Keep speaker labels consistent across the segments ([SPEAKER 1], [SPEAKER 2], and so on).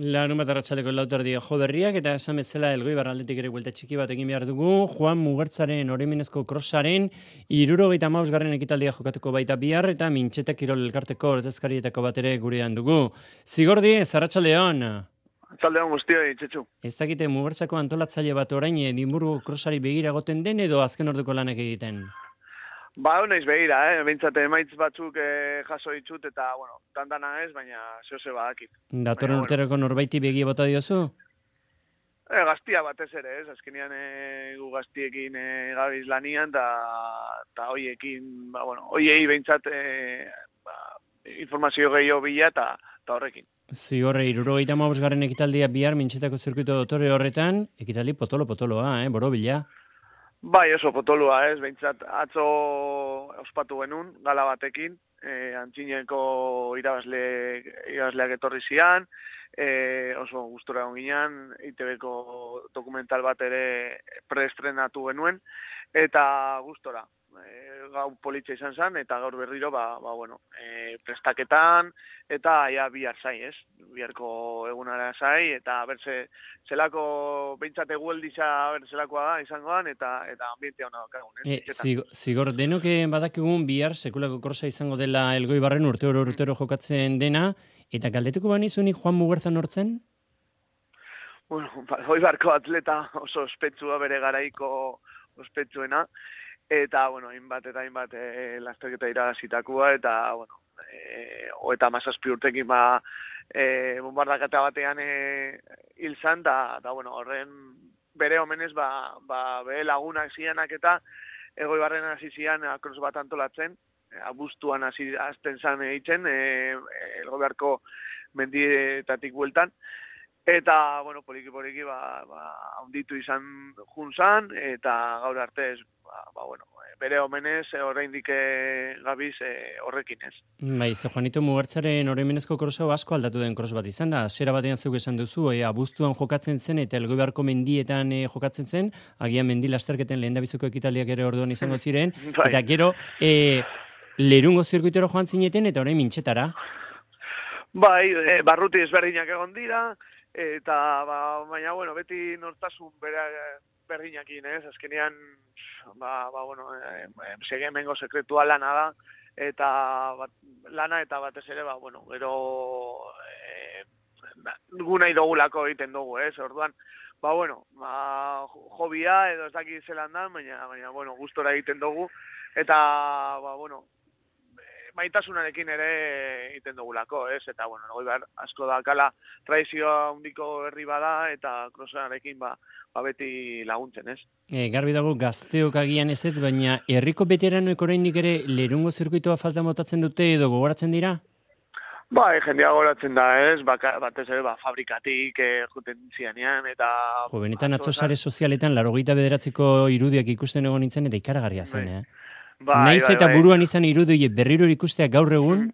[SPEAKER 1] Larun bat arratsaldeko lauterdia jo berriak eta esan bezala Elgoibar aldetik ere buelta txiki bat egin behar dugu. Juan Mugertzaren oroimenezko krosaren 75. ekitaldia jokatuko baita bihar eta Mintxeta Kirol elkarteko ordezkarietako bat ere gurean dugu. Zigordi, arratsaldeon.
[SPEAKER 2] Arratsaldeon guztioi, Txetxu.
[SPEAKER 1] Ez dakite Mugertzako antolatzaile bat orain Edimburgo krosari begira egoten den edo azken orduko lanak egiten?
[SPEAKER 2] Ba, honaiz begira, behintzat emaitz batzuk jaso ditut eta, bueno, tantana ez, baina zehose badakit.
[SPEAKER 1] Datorren urterako norbaiti begi bota diozu?
[SPEAKER 2] Gaztia batez ere, ez, azkenean gu gaztiekin gabiz lanian, eta hoiekin, ba, bueno, hoiei behintzat informazio gehiago bila eta horrekin.
[SPEAKER 1] Zigorre, 75. ekitaldia bihar Mintxetako zirkuito dotore horretan, ekitaldi potolo-potoloa, borobila.
[SPEAKER 2] Bai, oso potolua, ez, behintzat atzo ospatu genuen, gala batekin, antzineko irabazleak etorri zian, oso gustora ginean, ITB-ko dokumental bat ere preestrenatu genuen, eta gustora. Gau politxa izan zen, eta gaur berriro, prestaketan, eta ja bihar zai, ez? Biharko egunara zai, eta berze zelako, behintzat egueldiza zelakoa da, izangoan, eta ambientea hona dakagun,
[SPEAKER 1] Zigor, denok badakigun bihar sekulako krosa izango dela Elgoibarren urtero jokatzen dena, eta galdetuko banizunik Juan Mugertza nortzen?
[SPEAKER 2] Bueno, Elgoibarko atleta oso ospetsua bere garaiko ospetsuena, eta, bueno, hainbat lasterketa iragazitakoa, eta, bueno, eta 17 urtekin bombardaketa batean hil zan, eta, bueno, horren bere omenez, bere lagunak zianak eta Elgoibarren hasi zian kros bat antolatzen, abuztuan hasten zan eitzen, Elgoibarko mendietatik bueltan, eta, bueno, poliki, haunditu izan junzan, eta gaur arte ez, bere omenez oraindik gabiz horrekin ez.
[SPEAKER 1] Bai, ze Juanito Mugertzaren oroimenezko kroso asko aldatu den kros bat izan da. Zera batean zeuk esan duzu, abuztuan jokatzen zen eta Elgoibarko mendietan jokatzen zen, agian mendi lasterketen lehendabiziko ekitaldiak ere orduan izango ziren, eta gero Lerungo zirkuitero joan zineten eta orain Mintxetara.
[SPEAKER 2] Bai, barruti ezberdinak egon dira, eta, baina, bueno, beti nortasun berdinakin, ez? Azkenean, segemengo sekretua lana da, eta lana eta batez ere, gero gu nahi dugulako egiten dugu, ez? Orduan, hobia edo ez dakit zelan da, baina, gustora egiten dugu, eta, maitasunarekin ere egiten dugulako, ez? Eta, Elgoibar asko da kala tradizioa handiko herri bada, eta krosarekin beti laguntzen, ez?
[SPEAKER 1] Garbi dago gazteok agian ez, baina herriko veteranoek oraindik ere Lerungo zirkuitoa falta motatzen dute edo gogoratzen dira?
[SPEAKER 2] Bai, jendea gogoratzen da, ez? Batez ere, fabrikatik juten zianean, eta...
[SPEAKER 1] Benetan atzo sare sozialetan 89ko irudiak ikusten egon nintzen, eta ikaragarria zen, Naiz eta buruan izan irudi berriro ikustea gaur egun?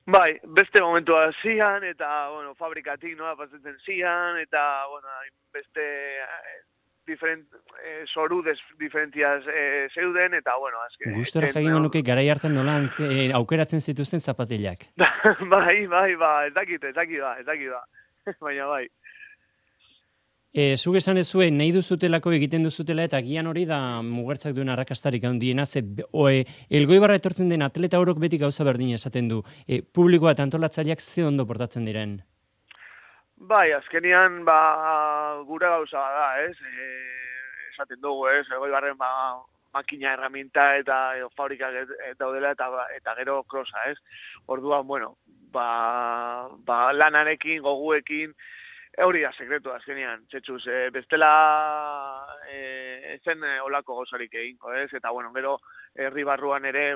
[SPEAKER 2] Bai, beste momentua zian, eta, fabrikatik nola pasatzen zian, eta, beste zoru diferentziaz zeuden, eta, azken...
[SPEAKER 1] Gustora jakingo nuke garai hartan nola aukeratzen zituzten zapatilak.
[SPEAKER 2] Bai, ez dakit, baina bai.
[SPEAKER 1] Zuk esan ezue, nahi duzutelako egiten duzutela eta agian hori da Mugertzak duen arrakastarik handiena, Elgoibarra etortzen den atleta orok beti gauza berdin esaten du. Publikoa eta antolatzaileak ze ondo portatzen diren?
[SPEAKER 2] Bai, azkenian gure gauza da, ez? Esaten dugu, ez? Elgoibarren makina herramienta eta fabrikak daudela eta gero krosa, ez? Orduan, lanarekin, goguekin, hori da sekretu azkenean, Txetxuz, bestela zen olako gauzarik egingo, ez? Eta, gero herri barruan ere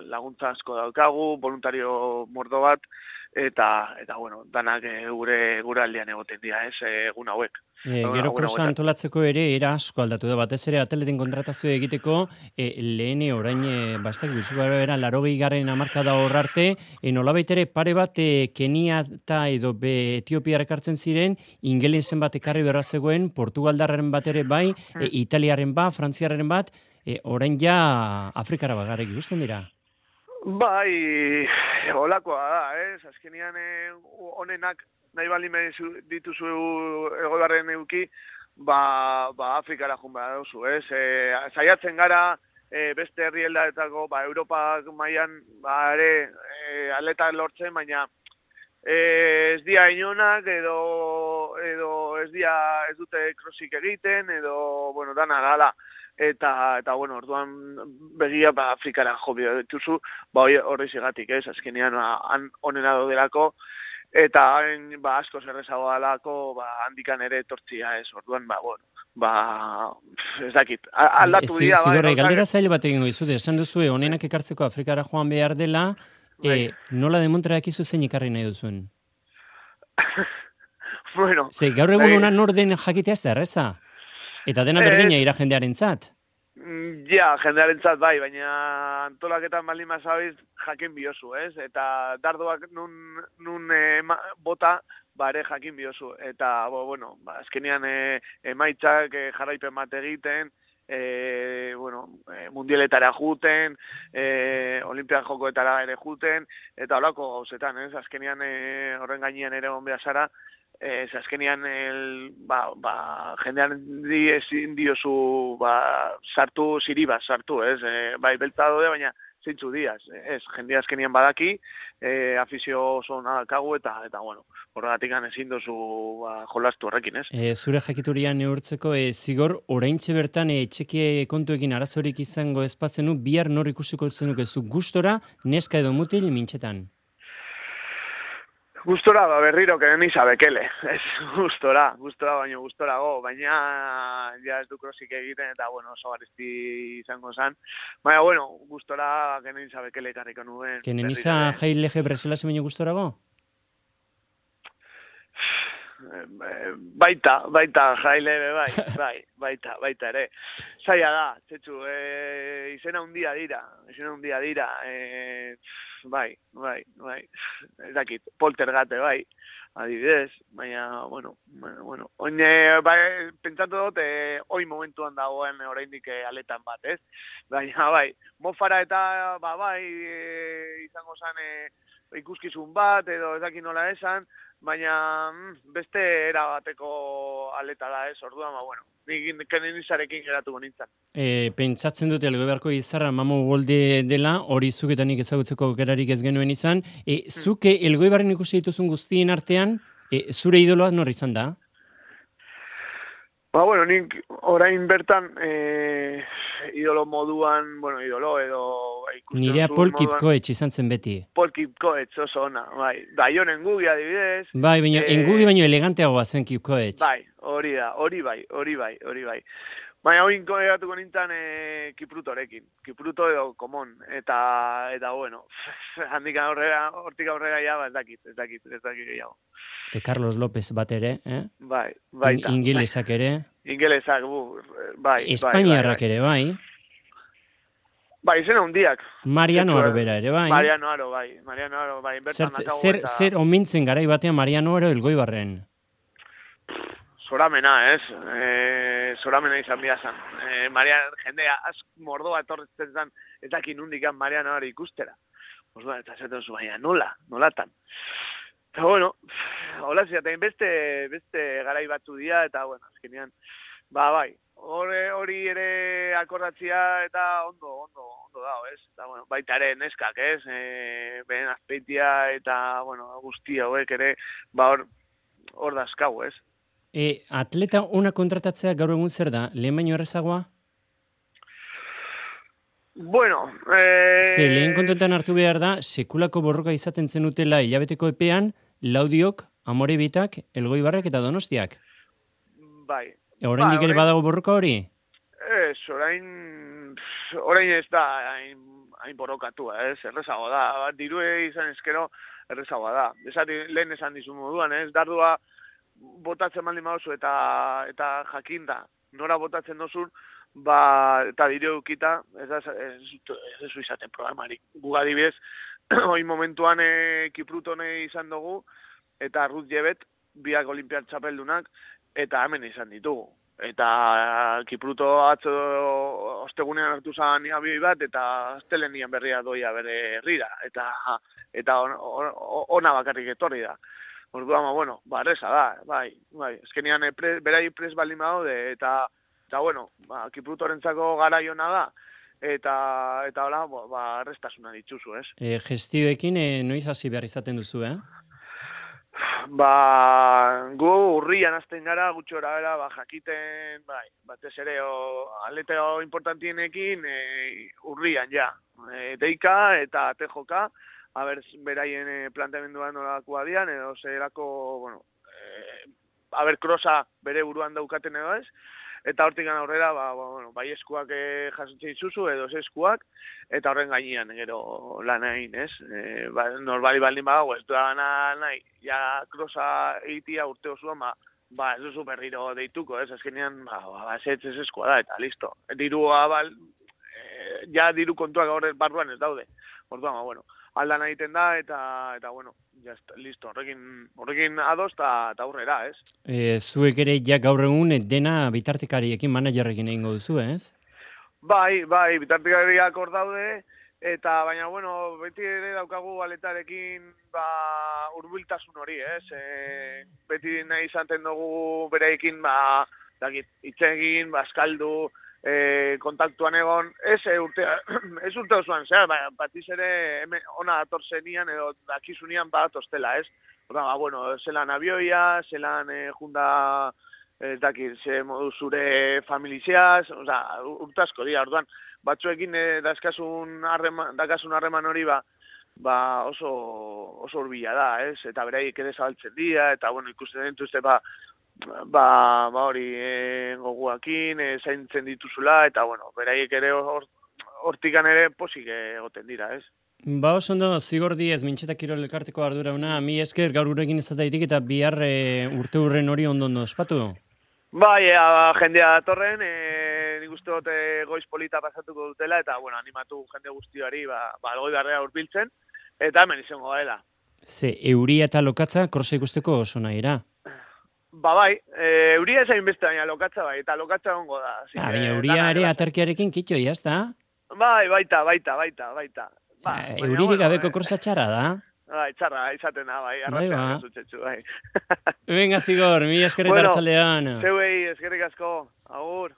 [SPEAKER 2] laguntza asko daukagu, voluntario mordo bat, eta danak gure aldean egoten dira, ez? Egun hauek.
[SPEAKER 1] Gero krosa antolatzeko ere era asko aldatu da, batez ere atleten kontratazio egiteko lehen orain bastak guztuko era 80. hamarkada hor arte, nolabait ere pare bat Keniata edo Etiopiar ekartzen ziren, ingelesen bat ekarri berra zegoen, Portugaldarren bat ere bai, Italiaren bat, Frantziarren bat, orain ja Afrikara bagarrik ikusten dira.
[SPEAKER 2] Bai, holakoa da, ez? Azkenean honenak nahi baldin dituzu Elgoibarren eduki, ba Afrikara joan behar duzu, ez? Saiatzen gara, beste herrialdeetako, Europa mailan ere atleta lortzen, baina ez dira inonak, edo ez dute crossik egiten, edo, bueno, dana gala. Eta bueno, orduan begia Afrikara jo dituzu, horri zigatik, ez? Azkenean onena daudelako, eta asko zerrezago dalako, handikan ere etortzia, ez? Orduan, ez dakit. Aldatu dira,
[SPEAKER 1] Zigorra, galdera zail bat egingo izut, esan duzu, onenak ekartzeko Afrikara joan behar dela, nola demontra ekizu zein ikarri nahi duzuen?
[SPEAKER 2] Bueno.
[SPEAKER 1] Gaur egun ona nor den jakitea ez da erreza? Eta dena berdina ira jendearentzat?
[SPEAKER 2] Ja, jendearentzat bai, baina antolaketan baldin mazabiz jakin biozu, ez? Eta dardoak nun bota, ere jakin biozu. Eta, bueno, azkenean emaitzak jarraipen bat egiten, mundieletara juten, olimpian jokoetara ere juten, eta holako gauzetan, ez? Azkenean horren gainean ere on behar zara, azkenean jendean ezin diozu sartu, ziri bat sartu, ez? Bai, beltza daude, baina zeintzu diaz, ez? Jendea azkenean badaki, afizio oso nakagu, eta bueno, horregatik ezin duzu jolastu horrekin, ez?
[SPEAKER 1] Zure jakiturian neurtzeko, zigor, oraintxe bertan etxeki kontuekin arazorik izango espazenu, bihar nor ikusiko zenukezu gustora, neska edo mutil mintxetan?
[SPEAKER 2] Gustora, berriro, kenen Bekele. Ez, gustora baino gustorago, baina ja ez du crossik egiten, eta, bueno, oso garesti izango zen. Baina, bueno, gustora kenen Bekele karriko nuen.
[SPEAKER 1] Kenen jai lege Bresela zemeño gustorago?
[SPEAKER 2] Baita, jaile, baita ere. Zaila da, txetxu, izena hundia dira, bai, ez dakit, poltergate, bai, adibidez, baina, bueno, oin, pentsatu dut, oin momentuan dagoen oraindik aletan bat, ez? Baina, bai, mofara eta, izango zen ikuskizun bat, edo ez dakit nola esan, baina beste erabateko aleta da, ez? Orduan, bueno, nik kenen izarekin geratuko nintzen.
[SPEAKER 1] Pentsatzen dute Elgoibarko izarra Mamo Golde dela, hori zuk eta nik ezagutzeko aukerarik ez genuen izan. Zuke Elgoibarren ikusi dituzun guztien artean, zure idoloa nor izan da?
[SPEAKER 2] Bueno, nik orain bertan idolo moduan, idolo edo...
[SPEAKER 1] Nirea Pol Kipkoetx izan zen beti.
[SPEAKER 2] Pol Kipkoetx oso ona, bai. Daion Engugi adibidez.
[SPEAKER 1] Bai, baina Engugi baino eleganteagoa zen Kipkoetx.
[SPEAKER 2] Bai, hori bai. Baina hori inkoegatuko nintzen Kiprutorekin. Kipruto edo komon. Eta bueno, hortik aurrera ja, ez dakit gehiago.
[SPEAKER 1] Carlos López bat ere,
[SPEAKER 2] Bai.
[SPEAKER 1] Ingelesak ere.
[SPEAKER 2] Ingelesak, bai.
[SPEAKER 1] Espainiarrak ere, bai.
[SPEAKER 2] Bai, izena hundiak.
[SPEAKER 1] Mariano Aro bera ere, bai.
[SPEAKER 2] Mariano Aro, bai.
[SPEAKER 1] Zer omintzen garai batean Mariano Aro Elgoibarren?
[SPEAKER 2] Zoramena, ez? Zoramena izan bihazan. Jendea, mordoa etorretzen zen, ez dakin hundikan Mariano Aro ikustera. Eta zaten zu, baina nolatan. Eta, bueno, hola ziaten, beste garai batzu dira, eta, bueno, azkenean, bai, hori ere akordatzia, eta ondo dago, ez? Eta, bueno, baita ere neskak, ez? Behen azpeitia, eta, bueno, guzti hauek ere, hor dazkau, ez?
[SPEAKER 1] Atleta ona kontratatzea gaur egun zer da? Lehen baino errezagoa?
[SPEAKER 2] Bueno,
[SPEAKER 1] lehen kontuetan hartu behar da, sekulako borroka izaten zenutela hilabeteko epean, Laudiok, Amorebitak, Elgoibarrek eta Donostiak.
[SPEAKER 2] Bai.
[SPEAKER 1] Oraindik ere badago borroka hori?
[SPEAKER 2] Ez, orain ez da hain borrokatua, ez, errezagoa da. Dirue izan ezkero errezagoa da. Lehen esan dizu moduan, ez, dardua botatzen baldin baduzu eta jakinda nora botatzen dozun, eta dire ukita, ez zu izaten programarik. Gu adibidez, hoi momentuan Kiprutone izan dugu, eta Ruth Jebet, biak olimpiar txapeldunak, eta hemen izan ditugu. Eta Kipruto atzo ostegunean hartu zan abioi bat, eta astelenian berria doia bere herrira, eta ona bakarrik etorri da. Orduan, bueno, erresa da, bai. Ezkenean berai pres baldin badaude, eta bueno, Kiprutorentzako garaiona da, eta hola, errestasuna dituzu, ez?
[SPEAKER 1] Gestioekin noiz hasi behar izaten duzu,
[SPEAKER 2] Gu urrian hasten gara, gutxora bera, jakiten, batez ere, aleteo importantienekin, urrian, ja. Deika eta tejoka, beraien planteamenduan nolakoa dian, edo zerako, bueno, krosa bere buruan daukaten edo ez, eta hortik aurrera, bai eskuak jasotzen dituzu, edo ez eskuak, eta horren gainean, gero lan egin, ez? Norbali baldin badago, ez duena nahi, ja krosa egitea urte osoan, ez duzu berriro deituko, ez? Azkenean, ez eskua da, eta listo. Ja diru kontuak gaur barruan ez daude. Orduan, bueno, aldan egiten da, eta bueno, listo, horrekin ados eta aurrera, ez?
[SPEAKER 1] Zuek ere ja gaur egun dena bitartekariekin managerrekin egingo duzu, ez?
[SPEAKER 2] Bai, bitartekariak hor daude, eta baina, bueno, beti ere daukagu aletarekin hurbiltasun hori, ez? Beti nahi izaten dugu bereekin, hitz egin, eskaldu, kontaktuan egon, ez urte osoan, batiz ere ona atorzenian edo dakizunian atostela, ez? Bueno, zelan abioia, zelan junda, ez dakit, ze modu zure familiziaz, urte asko dira, orduan, batzuekin dakasun harreman hori, oso urbila da, ez? Eta beraiek ere zabaltzen dira, eta, bueno, ikusten dituzte, hori goguakin, zaintzen dituzula, eta, bueno, beraiek ere hortikan ere posik egoten dira, ez?
[SPEAKER 1] Oso ondo, Zigor Diez, Mintxeta Kirol elkarteko ardurauna, mi esker gaur gurekin izataitik eta bihar urte hurren hori ondo ospatu?
[SPEAKER 2] Bai, jendea datorren, nik uste dut goiz polita pasatuko dutela, eta, bueno, animatu jende guztiari, algoi barrea urbiltzen, eta hemen izango gaela.
[SPEAKER 1] Ze, euria eta lokatza, krosa ikusteko oso nahira?
[SPEAKER 2] Bai, euria ezain beste, baina lokatza bai, eta lokatza ongo da.
[SPEAKER 1] Baina euria ere aterkiarekin kitxo, jazta?
[SPEAKER 2] Bai, baita.
[SPEAKER 1] Euririk gabeko krosa txarra da?
[SPEAKER 2] Bai, txarra, izaten da, bai, arrastean zutzetzu, bai.
[SPEAKER 1] Venga, Zigor, mi eskerrik arratsalean.
[SPEAKER 2] Zeuei, eskerrik asko, agur.